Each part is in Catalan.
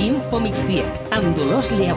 Info Migdia, amb Dolors Lleó.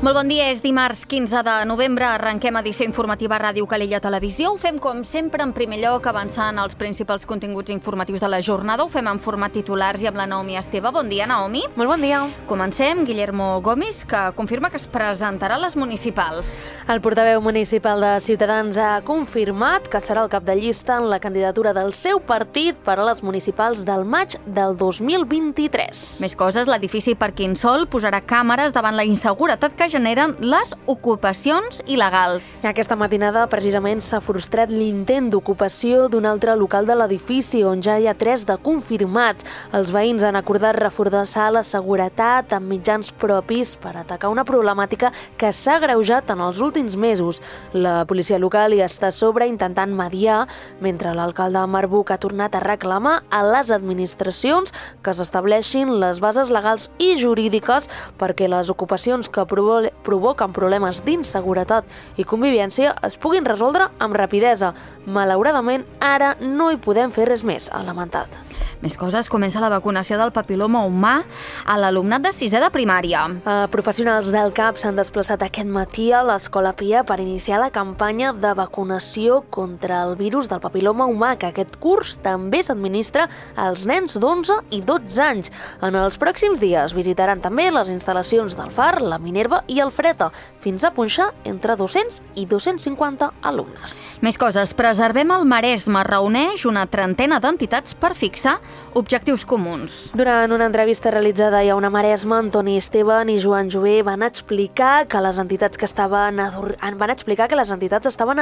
Molt bon dia, és dimarts 15 de novembre, arrenquem edició informativa Ràdio Calella Televisió. Ho fem com sempre, en primer lloc, avançant els principals continguts informatius de la jornada. Ho fem en format titulars i amb la Naomi Esteve. Bon dia, Naomi. Molt bon dia. Comencem. Guillermo Gomis, que confirma que es presentarà a les municipals. El portaveu municipal de Ciutadans ha confirmat que serà el cap de llista en la candidatura del seu partit per a les municipals del maig del 2023. Més coses, l'edifici Parquinsol posarà càmeres davant la inseguretat que generen les ocupacions il·legals. Aquesta matinada, precisament, s'ha frustrat l'intent d'ocupació d'un altre local de l'edifici, on ja hi ha 3 de confirmats. Els veïns han acordat reforçar la seguretat amb mitjans propis per atacar una problemàtica que s'ha agreujat en els últims mesos. La policia local hi està a sobre intentant mediar, mentre l'alcalde Marbuc ha tornat a reclamar a les administracions que s'estableixin les bases legals i jurídiques perquè les ocupacions que provoquen problemes d'inseguretat i convivència es puguin resoldre amb rapidesa. Malauradament, ara no hi podem fer res més, ha lamentat. Més coses, comença la vacunació del papil·loma humà a l'alumnat de 6è de primària. Professionals del CAP s'han desplaçat aquest matí a l'Escola Pia per iniciar la campanya de vacunació contra el virus del papil·loma humà, que aquest curs també s'administra als nens d'11 i 12 anys. En els pròxims dies visitaran també les instal·lacions del FAR, la Minerva i el Freta, fins a punxar entre 200 i 250 alumnes. Més coses, Preservem el Maresme reuneix una trentena d'entitats per fixar objectius comuns. Durant una entrevista realitzada a Una Maresme, Antoni Esteban i Joan Jové van explicar que les entitats estaven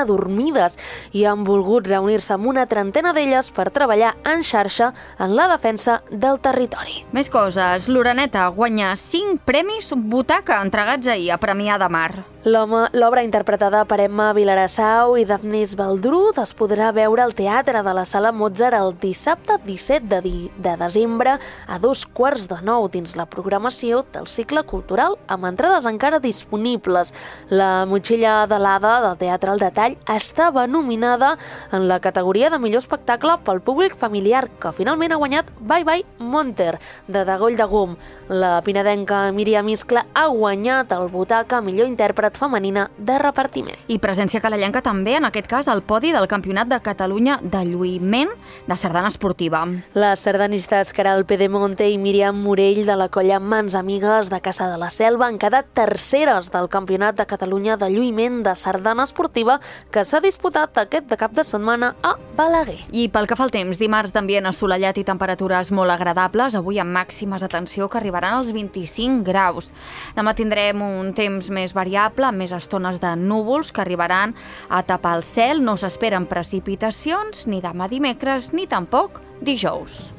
adormides i han volgut reunir-se amb una trentena d'elles per treballar en xarxa en la defensa del territori. Més coses, l'Oreneta guanya 5 premis Butaca entregats ahir a Premià de Mar. L'obra interpretada per Emma Vilarassau i Daphnis Baldrud es podrà veure al Teatre de la Sala Mozart el dissabte 17 de desembre a 8:45 dins la programació del cicle cultural amb entrades encara disponibles. La Motxilla de l'Ada del Teatre al Detall estava nominada en la categoria de millor espectacle pel públic familiar, que finalment ha guanyat Bye Bye Monter, de Dagoll de Gom. La pinedenca Míriam Iscla ha guanyat el Butaca millor intèrpret femenina de repartiment. I presència calellenca també, en aquest cas, al podi del Campionat de Catalunya de lluïment de sardana esportiva. Les sardanistes Caral Pedemonte i Míriam Morell de la colla Mans Amigues de Caça de la Selva han quedat terceres del Campionat de Catalunya de lluïment de sardana esportiva que s'ha disputat aquest cap de setmana a Balaguer. I pel que fa al temps, dimarts d'ambient assolellat i temperatures molt agradables, avui amb màximes, atenció, que arribaran als 25 graus. Demà tindrem un temps més variable, amb més estones de núvols que arribaran a tapar el cel. No s'esperen precipitacions ni demà dimecres ni tampoc dijous.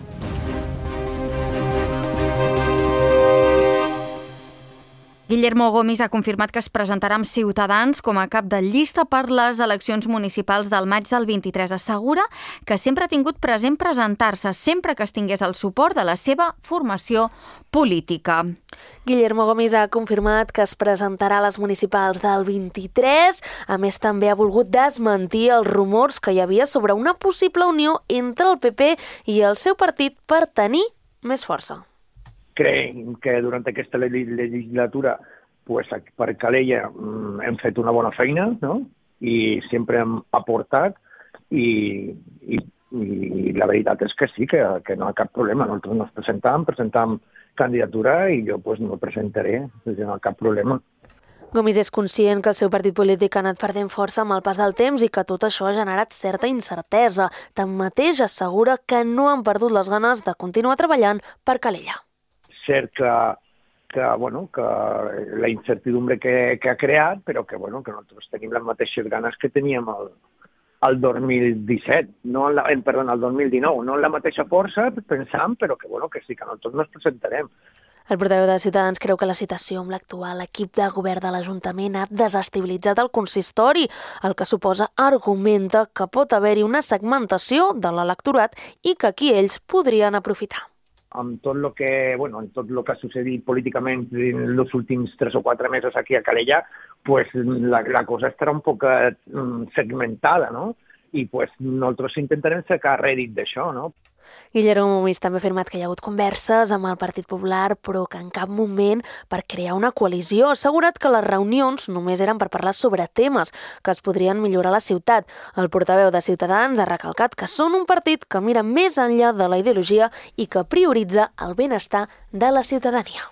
Guillermo Gomis ha confirmat que es presentarà amb Ciutadans com a cap de llista per les eleccions municipals del maig del 23. Assegura que sempre ha tingut present presentar-se sempre que es tingués el suport de la seva formació política. Guillermo Gomis ha confirmat que es presentarà a les municipals del 23. A més, també ha volgut desmentir els rumors que hi havia sobre una possible unió entre el PP i el seu partit per tenir més força. Crec que durant aquesta legislatura per Calella hem fet una bona feina, no? I sempre hem aportat i la veritat és que sí, que no hi ha cap problema. Nosaltres nos presentam candidatura i jo no presentaré, no hi ha cap problema. Gomis és conscient que el seu partit polític ha anat perdent força amb el pas del temps i que tot això ha generat certa incertesa. Tanmateix assegura que no han perdut les ganes de continuar treballant per Calella. Cert que la incertidumbre que ha creat, però que nosaltres tenim les mateixes ganes que teníem el 2017, el 2019, no en la mateixa força, pensam, però que sí, que nosaltres no ens presentarem. El portaveu de Ciutadans creu que la situació amb l'actual equip de govern de l'Ajuntament ha desestabilitzat el consistori, el que suposa argumenta que pot haver-hi una segmentació de l'electorat i que aquí ells podrien aprofitar. amb tot el que, en tot lo que ha sucedit políticament en els últims 3 o 4 mesos aquí a Calella, pues la cosa estarà un poc segmentada, no? I pues nosaltres intentarem sacar rèdit d'això, no? Guillermo Mumis també ha afirmat que hi ha hagut converses amb el Partit Popular, però que en cap moment per crear una coalició. Ha assegurat que les reunions només eren per parlar sobre temes que es podrien millorar a la ciutat. El portaveu de Ciutadans ha recalcat que són un partit que mira més enllà de la ideologia i que prioritza el benestar de la ciutadania.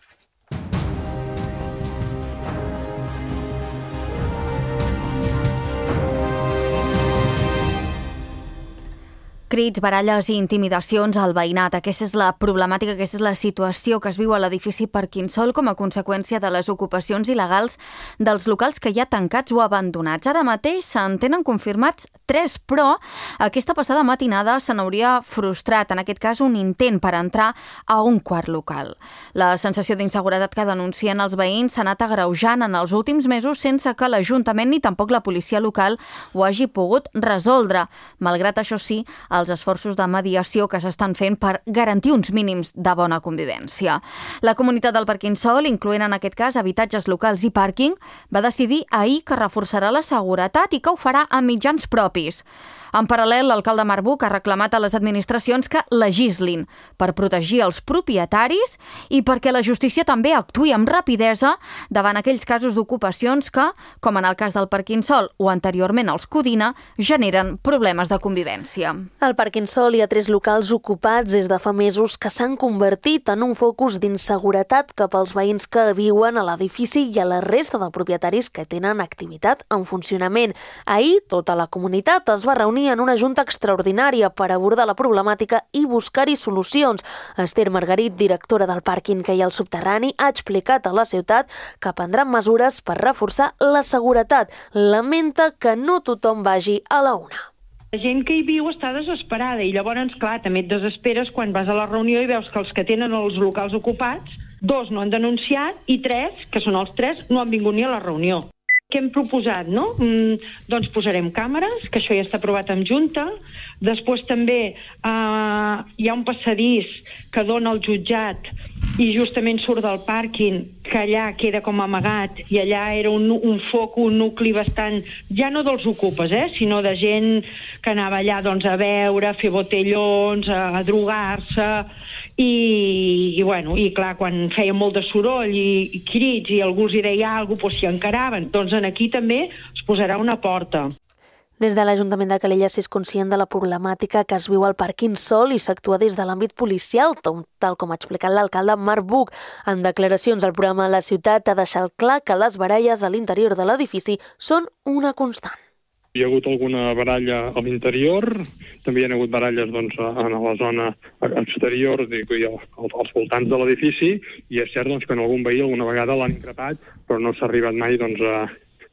Crits, baralles i intimidacions al veïnat. Aquesta és la problemàtica, aquesta és la situació que es viu a l'edifici Parquinsol com a conseqüència de les ocupacions il·legals dels locals que hi ha tancats o abandonats. Ara mateix se'n tenen confirmats 3, però aquesta passada matinada se n'hauria frustrat, en aquest cas, un intent per entrar a un quart local. La sensació d'inseguretat que denuncien els veïns s'ha anat agreujant en els últims mesos sense que l'Ajuntament ni tampoc la policia local ho hagi pogut resoldre. Malgrat això sí, els esforços de mediació que s'estan fent per garantir uns mínims de bona convivència. La comunitat del Parquinsol, incloent en aquest cas habitatges locals i pàrquing, va decidir ahir que reforçarà la seguretat i que ho farà amb mitjans propis. En paral·lel, l'alcalde Marc Buch ha reclamat a les administracions que legislin per protegir els propietaris i perquè la justícia també actuï amb rapidesa davant aquells casos d'ocupacions que, com en el cas del Parquinsol o anteriorment els Codina, generen problemes de convivència. Al Parquinsol hi ha 3 locals ocupats des de fa mesos que s'han convertit en un focus d'inseguretat cap als veïns que viuen a l'edifici i a la resta de propietaris que tenen activitat en funcionament. Ahir, tota la comunitat es va reunir en una junta extraordinària per abordar la problemàtica i buscar-hi solucions. Esther Margarit, directora del pàrquing que hi ha al subterrani, ha explicat a la ciutat que prendran mesures per reforçar la seguretat. Lamenta que no tothom vagi a la una. La gent que hi viu està desesperada i llavors, clar, també et desesperes quan vas a la reunió i veus que els que tenen els locals ocupats, 2 no han denunciat i 3, que són els 3, no han vingut ni a la reunió. Què hem proposat, no? Doncs posarem càmeres, que això ja està aprovat en Junta. Després també hi ha un passadís que dona al jutjat i justament surt del pàrquing, que allà queda com amagat, i allà era un foc, un nucli bastant, ja no dels ocupes, sinó de gent que anava allà doncs, a beure, a fer botellons, a drogar-se, i clar, quan feia molt de soroll i crits i algú els hi deia alguna cosa, s'hi encaraven. Doncs aquí també es posarà una porta. Des de l'Ajuntament de Calella s'és conscient de la problemàtica que es viu al Parquinsol i s'actua des de l'àmbit policial, tal com ha explicat l'alcalde Marc Buch. En declaracions al programa La Ciutat ha deixat clar que les baralles a l'interior de l'edifici són una constant. Hi ha hagut alguna baralla a l'interior, també hi ha hagut baralles doncs, a la zona exterior i als voltants de l'edifici, i és cert doncs, que en algun veí alguna vegada l'han increpat, però no s'ha arribat mai doncs,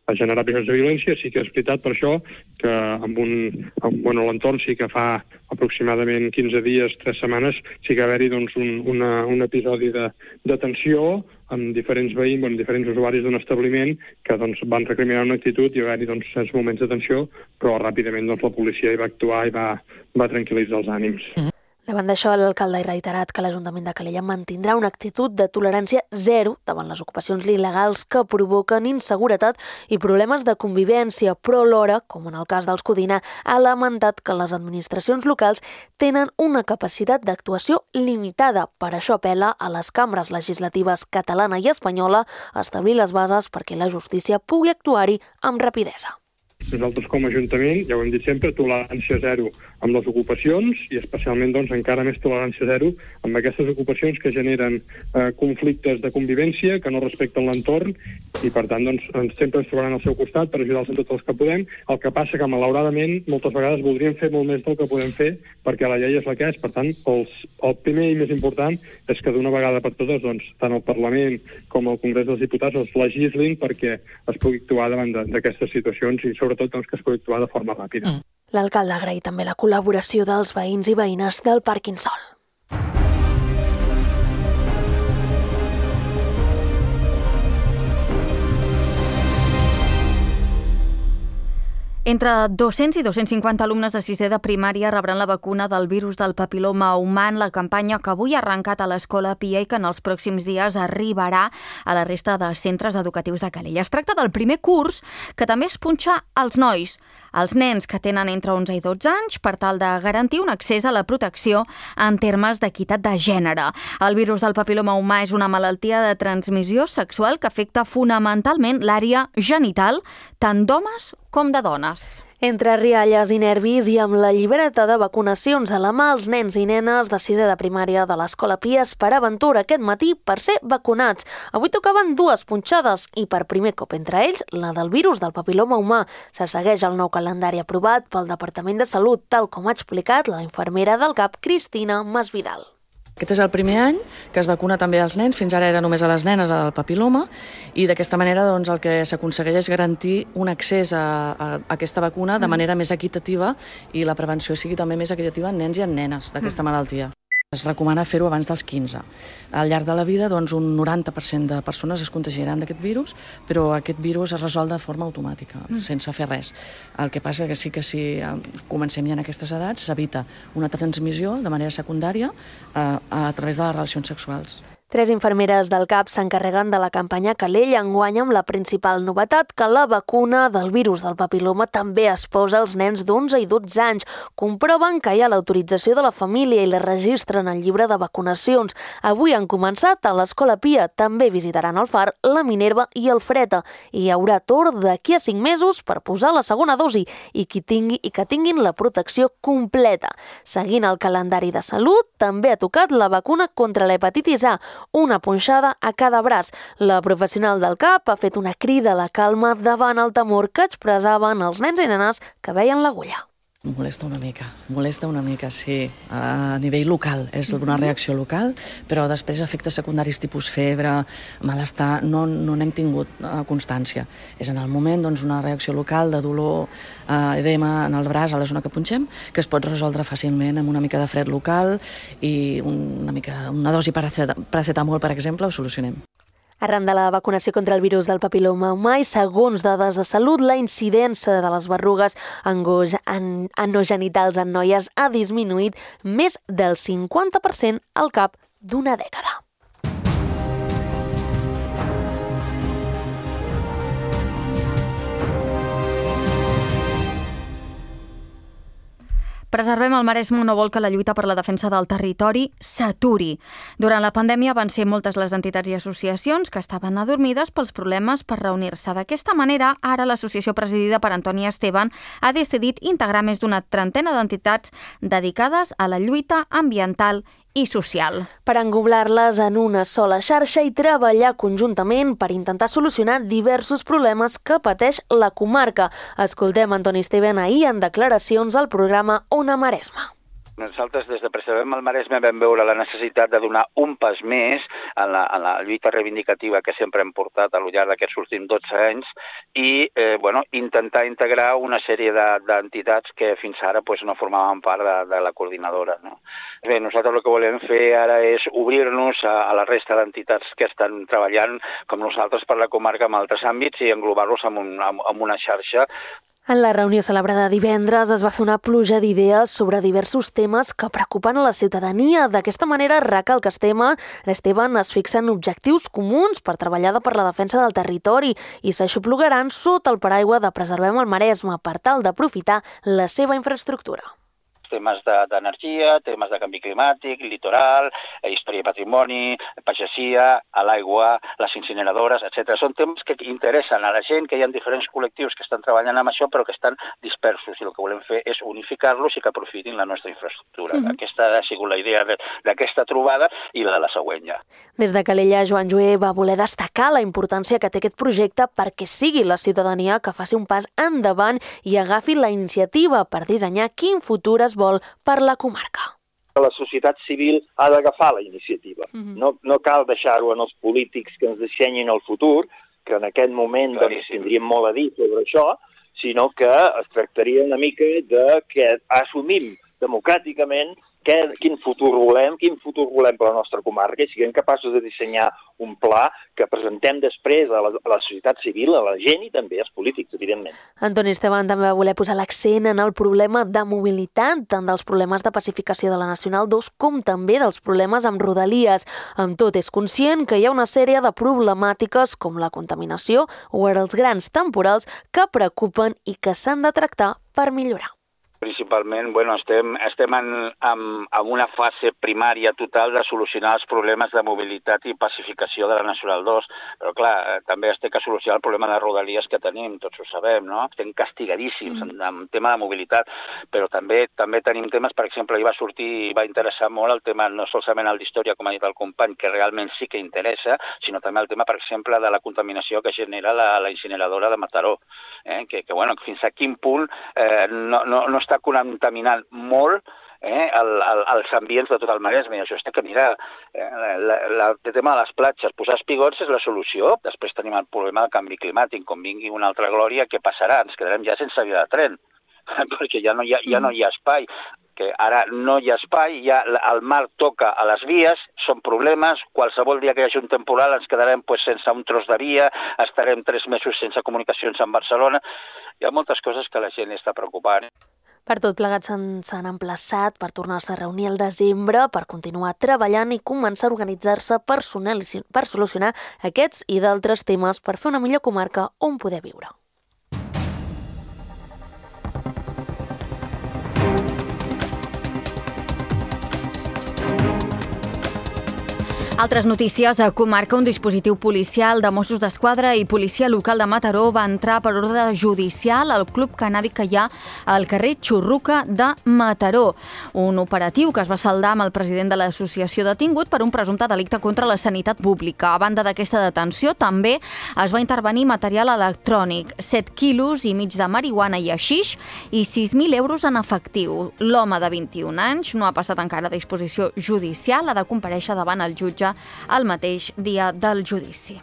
a generar episodis de violència. Sí que és veritat per això que l'entorn sí que fa aproximadament 15 dies, 3 setmanes, sí que va haver-hi doncs, un episodi de tensió amb diferents veïns, diferents usuaris d'un establiment que doncs, van recriminar una actitud i va haver-hi doncs, certs moments de tensió, però ràpidament doncs, la policia hi va actuar i va tranquil·litzar els ànims. Davant d'això, l'alcalde ha reiterat que l'Ajuntament de Calella mantindrà una actitud de tolerància zero davant les ocupacions il·legals que provoquen inseguretat i problemes de convivència, però alhora, com en el cas dels Codina, ha lamentat que les administracions locals tenen una capacitat d'actuació limitada. Per això apel·la a les cambres legislatives catalana i espanyola a establir les bases perquè la justícia pugui actuar-hi amb rapidesa. Nosaltres com a Ajuntament, ja ho hem dit sempre, tolerància zero amb les ocupacions i especialment doncs, encara més tolerància zero amb aquestes ocupacions que generen conflictes de convivència, que no respecten l'entorn i per tant doncs, sempre ens trobaran al seu costat per ajudar-los en tots els que podem. El que passa que malauradament moltes vegades voldríem fer molt més del que podem fer perquè la llei és la que és. Per tant, el primer i més important és que d'una vegada per totes doncs, tant el Parlament com el Congrés dels Diputats els legislin perquè es pugui actuar davant d'aquestes situacions i sobretot doncs, que es pugui actuar de forma ràpida. L'alcalde agraït també la col·laboració dels veïns i veïnes del Parquinsol. Entre 200 i 250 alumnes de 6è de primària rebran la vacuna del virus del papil·loma humà en la campanya que avui ha arrencat a l'Escola Pia i que en els pròxims dies arribarà a la resta de centres educatius de Calella. Es tracta del primer curs que també es punxa als nois, als nens que tenen entre 11 i 12 anys, per tal de garantir un accés a la protecció en termes d'equitat de gènere. El virus del papil·loma humà és una malaltia de transmissió sexual que afecta fonamentalment l'àrea genital, tant d'homes com de dones. Entre rialles i nervis i amb la llibreta de vacunacions a la mà, els nens i nenes de 6è de primària de l'Escola Pia esperaven Tura aquest matí per ser vacunats. Avui tocaven 2 punxades i per primer cop entre ells la del virus del papil·loma humà. Se segueix el nou calendari aprovat pel Departament de Salut, tal com ha explicat la infermera del CAP, Cristina Masvidal. Aquest és el primer any que es vacuna també als nens, fins ara era només a les nenes del papil·loma, i d'aquesta manera doncs, el que s'aconsegueix és garantir un accés a aquesta vacuna de manera més equitativa i la prevenció sigui també més equitativa en nens i en nenes d'aquesta malaltia. Es recomana fer-ho abans dels 15. Al llarg de la vida, doncs, un 90% de persones es contagiaran d'aquest virus, però aquest virus es resol de forma automàtica, sense fer res. El que passa que sí que si comencem ja en aquestes edats, s'evita una transmissió de manera secundària a través de les relacions sexuals. 3 infermeres del CAP s'encarreguen de la campanya Calella enguany amb la principal novetat que la vacuna del virus del papil·loma també es posa als nens d'11 i 12 anys. Comproven que hi ha l'autorització de la família i la registren al llibre de vacunacions. Avui han començat a l'Escola Pia. També visitaran el Far, la Minerva i el Freta. I hi haurà torn d'aquí a 5 mesos per posar la segona dosi i que tinguin la protecció completa. Seguint el calendari de salut, també ha tocat la vacuna contra l'hepatitis A, una punxada a cada braç. La professional del CAP ha fet una crida a la calma davant el temor que expressaven els nens i nenes que veien l'agulla. Molesta una mica, sí. A nivell local, és una reacció local, però després efectes secundaris tipus febre, malestar, no n'hem tingut constància. És en el moment una reacció local de dolor, edema en el braç, a la zona que punxem, que es pot resoldre fàcilment amb una mica de fred local i una dosi paracetamol, per exemple, ho solucionem. Arran de la vacunació contra el virus del papil·loma humà i segons dades de salut, la incidència de les berrugues anogenitals en noies ha disminuït més del 50% al cap d'una dècada. Preservem el Maresme no vol que la lluita per la defensa del territori s'aturi. Durant la pandèmia van ser moltes les entitats i associacions que estaven adormides pels problemes per reunir-se. D'aquesta manera, ara l'associació presidida per Antoni Esteban ha decidit integrar més d'una trentena d'entitats dedicades a la lluita ambiental i social. Per engoblar-les en una sola xarxa i treballar conjuntament per intentar solucionar diversos problemes que pateix la comarca. Escoltem Antoni Esteban ahir en declaracions al programa Ona Maresme. Nosaltres des de Preservem el Maresme vam veure la necessitat de donar un pas més en la lluita reivindicativa que sempre hem portat al llarg d'aquests últims 12 anys i intentar integrar una sèrie d'entitats que fins ara no formaven part de la coordinadora. No? Bé, nosaltres el que volem fer ara és obrir-nos a la resta d'entitats que estan treballant com nosaltres per la comarca en altres àmbits i englobar-los en una xarxa. En la reunió celebrada divendres es va fer una pluja d'idees sobre diversos temes que preocupen a la ciutadania. D'aquesta manera, recalca Esteban es fixen objectius comuns per treballar per la defensa del territori i s'aixoplugaran sota el paraigua de Preservem el Maresme per tal d'aprofitar la seva infraestructura. Temes d'energia, temes de canvi climàtic, litoral, història i patrimoni, pagesia, a l'aigua, les incineradores, etc. Són temes que interessen a la gent, que hi ha diferents col·lectius que estan treballant amb això però que estan dispersos i el que volem fer és unificar-los i que aprofitin la nostra infraestructura. Aquesta ha sigut la idea d'aquesta trobada i la de la següent ja. Des de Calella, Joan Joé va voler destacar la importància que té aquest projecte perquè sigui la ciutadania que faci un pas endavant i agafi la iniciativa per dissenyar quin futur es vol per la comarca. La societat civil ha d'agafar la iniciativa. No cal deixar-ho en els polítics que ens dissenyin el futur, que en aquest moment tindríem molt a dir sobre això, sinó que es tractaria una mica de que assumim democràticament quin futur volem per la nostra comarca, i siguem capaços de dissenyar un pla que presentem després a la societat civil, a la gent i també als polítics, evidentment. Antoni Esteban també va voler posar l'accent en el problema de mobilitat, tant dels problemes de pacificació de la Nacional 2 com també dels problemes amb Rodalies. Amb tot, és conscient que hi ha una sèrie de problemàtiques com la contaminació o els grans temporals que preocupen i que s'han de tractar per millorar. Principalment, estem en una fase primària total de solucionar els problemes de mobilitat i pacificació de la Nacional 2, però clar, també es té que solucionar el problema de Rodalies que tenim, tots ho sabem, no? Estem castigadíssims en tema de mobilitat, però també tenim temes, per exemple, va interessar molt el tema, no solament el d'història, com ha dit el company, que realment sí que interessa, sinó també el tema, per exemple, de la contaminació que genera la incineradora de Mataró, que fins a quin punt no està contaminant molt els ambients de tot el Maresme. Això està que mirar. El tema de les platges, posar espigots és la solució. Després tenim el problema del canvi climàtic. Com vingui una altra glòria, què passarà? Ens quedarem ja sense via de tren, perquè ja no hi ha espai. Que ara no hi ha espai, ja el mar toca a les vies, són problemes, qualsevol dia que hi hagi un temporal ens quedarem sense un tros de via, estarem 3 mesos sense comunicacions amb Barcelona. Hi ha moltes coses que la gent està preocupant. Per tot plegat s'han emplaçat per tornar-se a reunir al desembre, per continuar treballant i començar a organitzar-se per solucionar aquests i d'altres temes per fer una millor comarca on poder viure. Altres notícies. A comarca, un dispositiu policial de Mossos d'Esquadra i policia local de Mataró va entrar per ordre judicial al club cannàbic que hi ha al carrer Xurruca de Mataró. Un operatiu que es va saldar amb el president de l'associació detingut per un presumpte delicte contra la sanitat pública. A banda d'aquesta detenció, també es va intervenir material electrònic, 7 quilos i mig de marihuana i haixix i 6.000 euros en efectiu. L'home de 21 anys no ha passat encara a disposició judicial, ha de comparèixer davant el jutge el mateix dia del judici.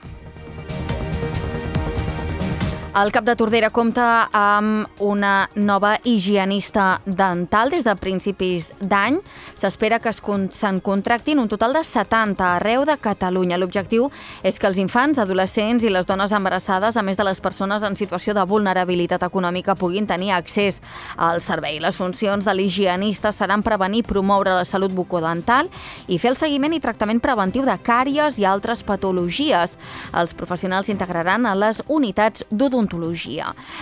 El Cap de Tordera compta amb una nova higienista dental des de principis d'any. S'espera que se'n contractin un total de 70 arreu de Catalunya. L'objectiu és que els infants, adolescents i les dones embarassades, a més de les persones en situació de vulnerabilitat econòmica, puguin tenir accés al servei. Les funcions de l'higienista seran prevenir i promoure la salut bucodental i fer el seguiment i tractament preventiu de càries i altres patologies. Els professionals s'integraran a les unitats d'odontologia.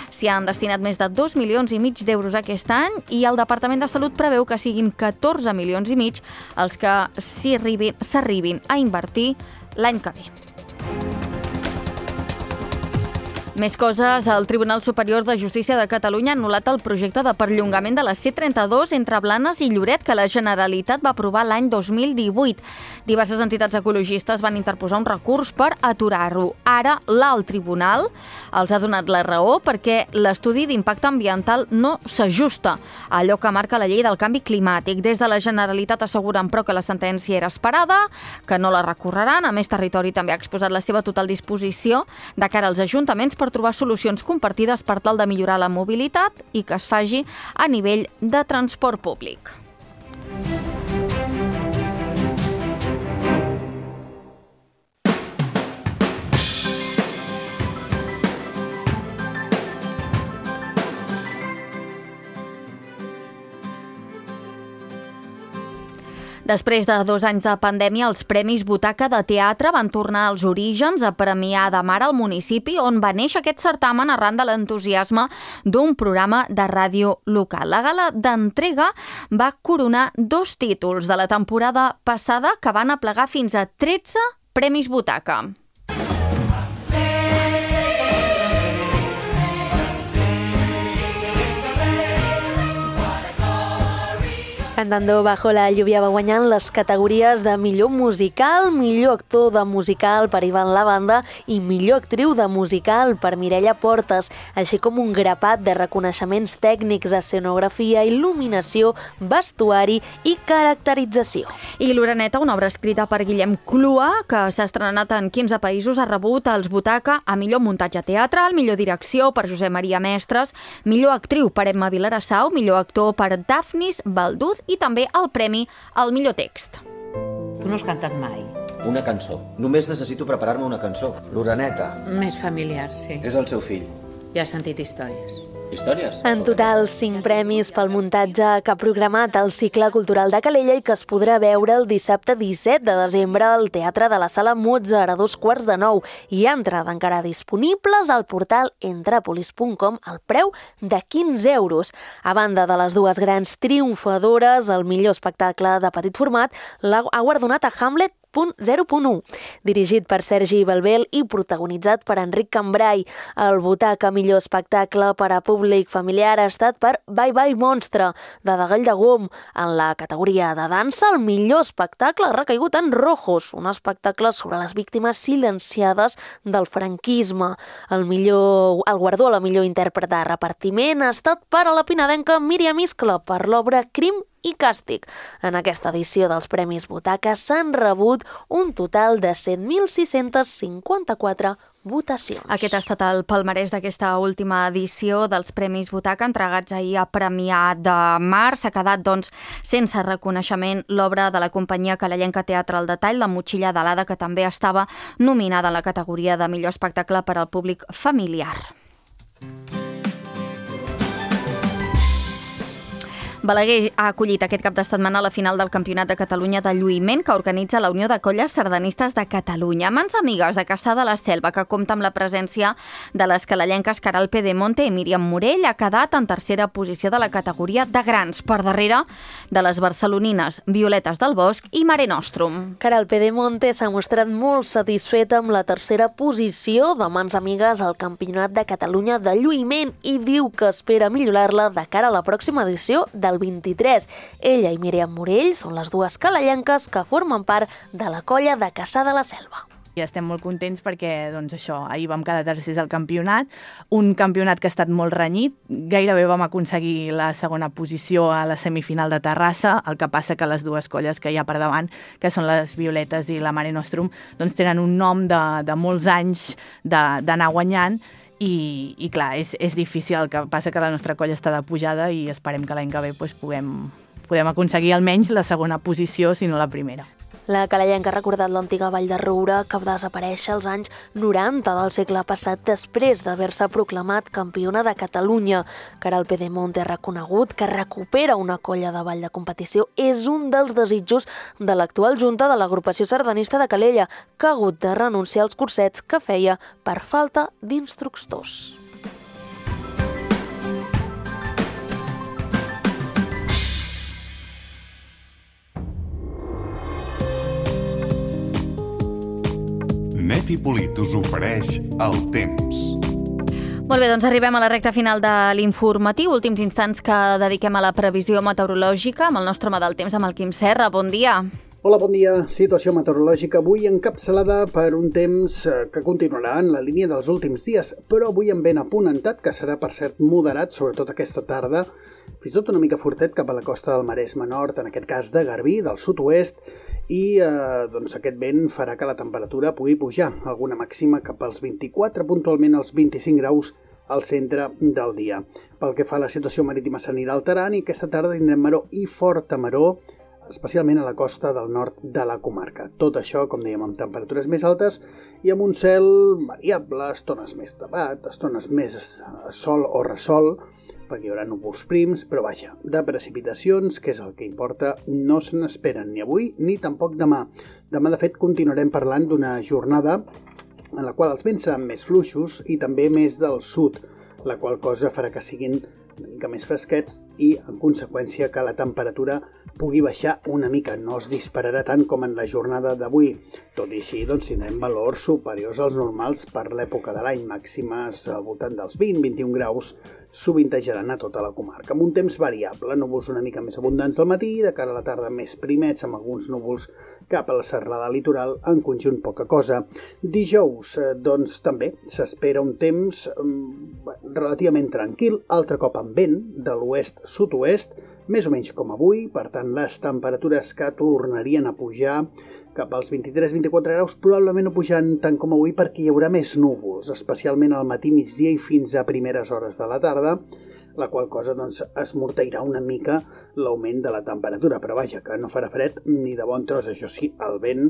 S'hi han destinat més de 2,5 milions d'euros aquest any i el Departament de Salut preveu que siguin 14,5 milions els que s'arribin a invertir l'any que ve. Més coses. El Tribunal Superior de Justícia de Catalunya ha anul·lat el projecte de perllongament de la C32 entre Blanes i Lloret que la Generalitat va aprovar l'any 2018. Diverses entitats ecologistes van interposar un recurs per aturar-ho. Ara, l'alt tribunal els ha donat la raó perquè l'estudi d'impacte ambiental no s'ajusta a allò que marca la llei del canvi climàtic. Des de la Generalitat asseguren, però, que la sentència era esperada, que no la recorreran. A més, Territori també ha exposat la seva total disposició de cara als ajuntaments per trobar solucions compartides per tal de millorar la mobilitat i que es faci a nivell de transport públic. Després de 2 anys de pandèmia, els Premis Butaca de Teatre van tornar als orígens a premiar de Mar al municipi on va néixer aquest certamen arran de l'entusiasme d'un programa de ràdio local. La gala d'entrega va coronar 2 títols de la temporada passada que van aplegar fins a 13 Premis Butaca. Cantando bajo la lluvia va guanyant les categories de millor musical, millor actor de musical per Ivan Lavanda i millor actriu de musical per Mireia Portes, així com un grapat de reconeixements tècnics, escenografia, il·luminació, vestuari i caracterització. I l'Oreneta, una obra escrita per Guillem Clua, que s'ha estrenat en 15 països, ha rebut els Butaca a millor muntatge teatral, millor direcció per Josep Maria Mestres, millor actriu per Emma Vilarassau, millor actor per Dafnis Balduz i també el premi al millor text. Tu no has cantat mai. Una cançó. Només necessito preparar-me una cançó. L'Oreneta. Més familiar, sí. És el seu fill. Ja has sentit històries. Històries? En total, 5 premis pel muntatge que ha programat el cicle cultural de Calella i que es podrà veure el dissabte 17 de desembre al Teatre de la Sala Mozart a 8:45 i entrada encara disponibles al portal entrepolis.com al preu de 15 euros. A banda de les dues grans triomfadores, el millor espectacle de petit format ha guardonat a Hamlet 0.1, dirigit per Sergi Belbel i protagonitzat per Enric Cambrai. El Butac a millor espectacle per a públic familiar ha estat per Bye Bye Monstre, de Gall de Gom. En la categoria de dansa, el millor espectacle ha recaigut en Rojos, un espectacle sobre les víctimes silenciades del franquisme. El guardó a la millor intèrpret de repartiment ha estat per a la pinadenca Míriam Iscle per l'obra Crim i Càstig. En aquesta edició dels Premis Butaca s'han rebut un total de 7.654 votacions. Aquest ha estat el palmarès d'aquesta última edició dels Premis Butaca, entregats ahir a Premià de Mar. S'ha quedat, doncs, sense reconeixement l'obra de la companyia calellenca Teatre al Detall, La motxilla de l'Ada, que també estava nominada en la categoria de millor espectacle per al públic familiar. Balaguer ha acollit aquest cap de setmana la final del Campionat de Catalunya de lluïment que organitza la Unió de Colles Sardanistes de Catalunya. Mans amigues de Cassà de la Selva, que compta amb la presència de les calellenques Caral Pedemonte i Míriam Morell, ha quedat en tercera posició de la categoria de grans, per darrere de les barcelonines Violetes del Bosc i Mare Nostrum. Caral Pedemonte s'ha mostrat molt satisfeta amb la tercera posició de Mans amigues al Campionat de Catalunya de lluïment i diu que espera millorar-la de cara a la pròxima edició del 23. Ella i Míriam Morell són les dues calellenques que formen part de la colla de Cassà de la Selva. I estem molt contents perquè, doncs això, ahir vam quedar tercers al campionat, un campionat que ha estat molt renyit, gairebé vam aconseguir la segona posició a la semifinal de Terrassa, el que passa que les dues colles que hi ha per davant, que són les Violetes i la Mare Nostrum, doncs tenen un nom de molts anys d'anar guanyant, i clar, és difícil, el que passa que la nostra colla està de pujada i esperem que l'any que ve podem aconseguir almenys la segona posició, si no la primera. La calellenca ha recordat l'antiga Vall de Roure, que va desaparèixer als anys 90 del segle passat després d'haver-se proclamat campiona de Catalunya. Caral Pedemonte ha reconegut que recupera una colla de ball de competició és un dels desitjos de l'actual junta de l'agrupació sardanista de Calella, que ha hagut de renunciar als cursets que feia per falta d'instructors. Net i Polit us ofereix el temps. Molt bé, doncs arribem a la recta final de l'informatiu. Últims instants que dediquem a la previsió meteorològica amb el nostre home del temps, amb el Quim Serra. Bon dia. Hola, bon dia. Situació meteorològica avui encapçalada per un temps que continuarà en la línia dels últims dies, però avui amb vent apunentat, que serà per cert moderat, sobretot aquesta tarda, fins i tot una mica fortet cap a la costa del Maresme Nord, en aquest cas de Garbí, del sud-oest, i doncs aquest vent farà que la temperatura pugui pujar, alguna màxima cap als 24, puntualment als 25 graus al centre del dia. Pel que fa a la situació marítima s'anirà alterant i aquesta tarda tindrem maror i forta maror, especialment a la costa del nord de la comarca. Tot això, com dèiem, amb temperatures més altes i amb un cel variable, estones més tapat, estones més sol o ressol, perquè hi haurà núvols prims, però vaja, de precipitacions, que és el que importa, no se n'esperen ni avui ni tampoc demà. Demà, de fet, continuarem parlant d'una jornada en la qual els vents seran més fluixos i també més del sud, la qual cosa farà que siguin una mica més fresquets i, en conseqüència, que la temperatura pugui baixar una mica. No es dispararà tant com en la jornada d'avui. Tot i així, doncs, tindrem valors superiors als normals per l'època de l'any, màximes al voltant dels 20-21 graus, sovintejaran a tota la comarca. Amb un temps variable, núvols una mica més abundants al matí, de cara a la tarda més primets, amb alguns núvols cap a la serralada litoral, en conjunt poca cosa. Dijous, doncs, també s'espera un temps relativament tranquil, altre cop amb vent de l'oest-sud-oest, més o menys com avui, per tant, les temperatures que tornarien a pujar cap als 23-24 graus, probablement no pujant tant com avui perquè hi haurà més núvols, especialment al matí, migdia i fins a primeres hores de la tarda, la qual cosa doncs, esmorteirà una mica l'augment de la temperatura, però vaja, que no farà fred ni de bon tros, això sí, el vent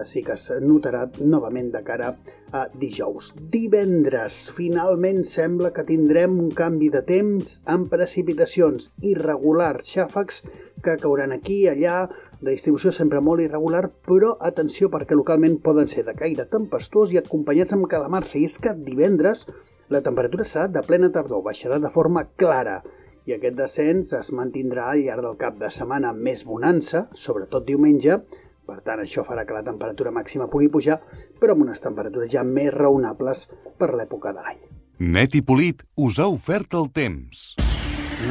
sí que es notarà novament de cara a dijous. Divendres, finalment sembla que tindrem un canvi de temps amb precipitacions irregulars, xàfecs que cauran aquí, allà, de distribució sempre molt irregular, però atenció perquè localment poden ser de caire tempestuós i acompanyats amb calamarsa, i és que divendres la temperatura serà de plena tardor, baixarà de forma clara i aquest descens es mantindrà al llarg del cap de setmana amb més bonança, sobretot diumenge. Per tant, això farà que la temperatura màxima pugui pujar, però amb unes temperatures ja més raonables per l'època de l'any. Net i Polit us ha ofert el temps.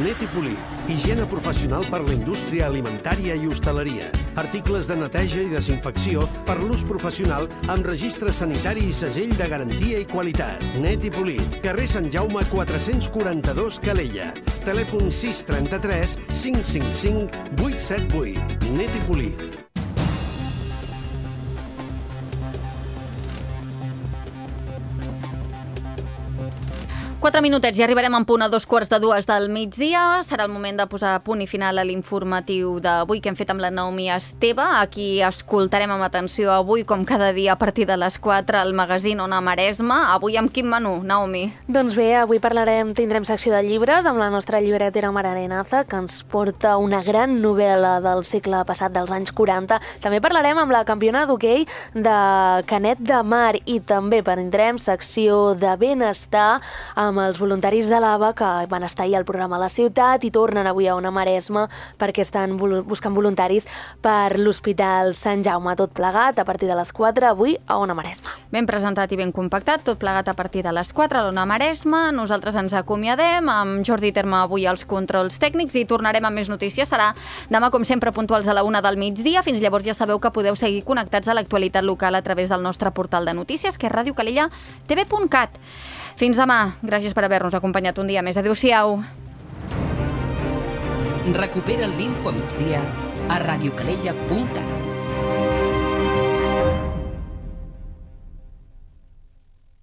Net i Polit, higiene professional per la indústria alimentària i hostaleria. Articles de neteja i desinfecció per l'ús professional amb registre sanitari i segell de garantia i qualitat. Net i Polit, carrer Sant Jaume 442 Calella. Telèfon 633 555 878. Net i Polit. 4 minutets i arribarem en punt a 2:45 del migdia. Serà el moment de posar punt i final a l'informatiu d'avui que hem fet amb la Naomi Esteve. Aquí escoltarem amb atenció avui, com cada dia, a partir de les 4, el magazín Ona Maresme. Avui amb quin menú, Naomi? Doncs bé, avui tindrem secció de llibres amb la nostra llibretera Mar Arenaza, que ens porta una gran novel·la del segle passat, dels anys 40. També parlarem amb la campiona d'hoquei de Canet de Mar i també tindrem secció de benestar amb els voluntaris de l'AVA que van estar ahir al programa a la ciutat i tornen avui a Ona Maresme perquè estan buscant voluntaris per l'Hospital Sant Jaume. Tot plegat a partir de les 4 avui a Ona Maresme. Ben presentat i ben compactat, tot plegat a partir de les 4 a l'Ona Maresme. Nosaltres ens acomiadem amb Jordi Terme avui als controls tècnics i tornarem amb més notícies. Serà demà, com sempre, puntuals a la 1 del migdia. Fins llavors ja sabeu que podeu seguir connectats a l'actualitat local a través del nostre portal de notícies, que és radiocalellatv.cat. Fins demà. Gràcies per haver-nos acompanyat un dia més. Adéu-siau. Recupera l'Info Migdia a radiocalella.cat.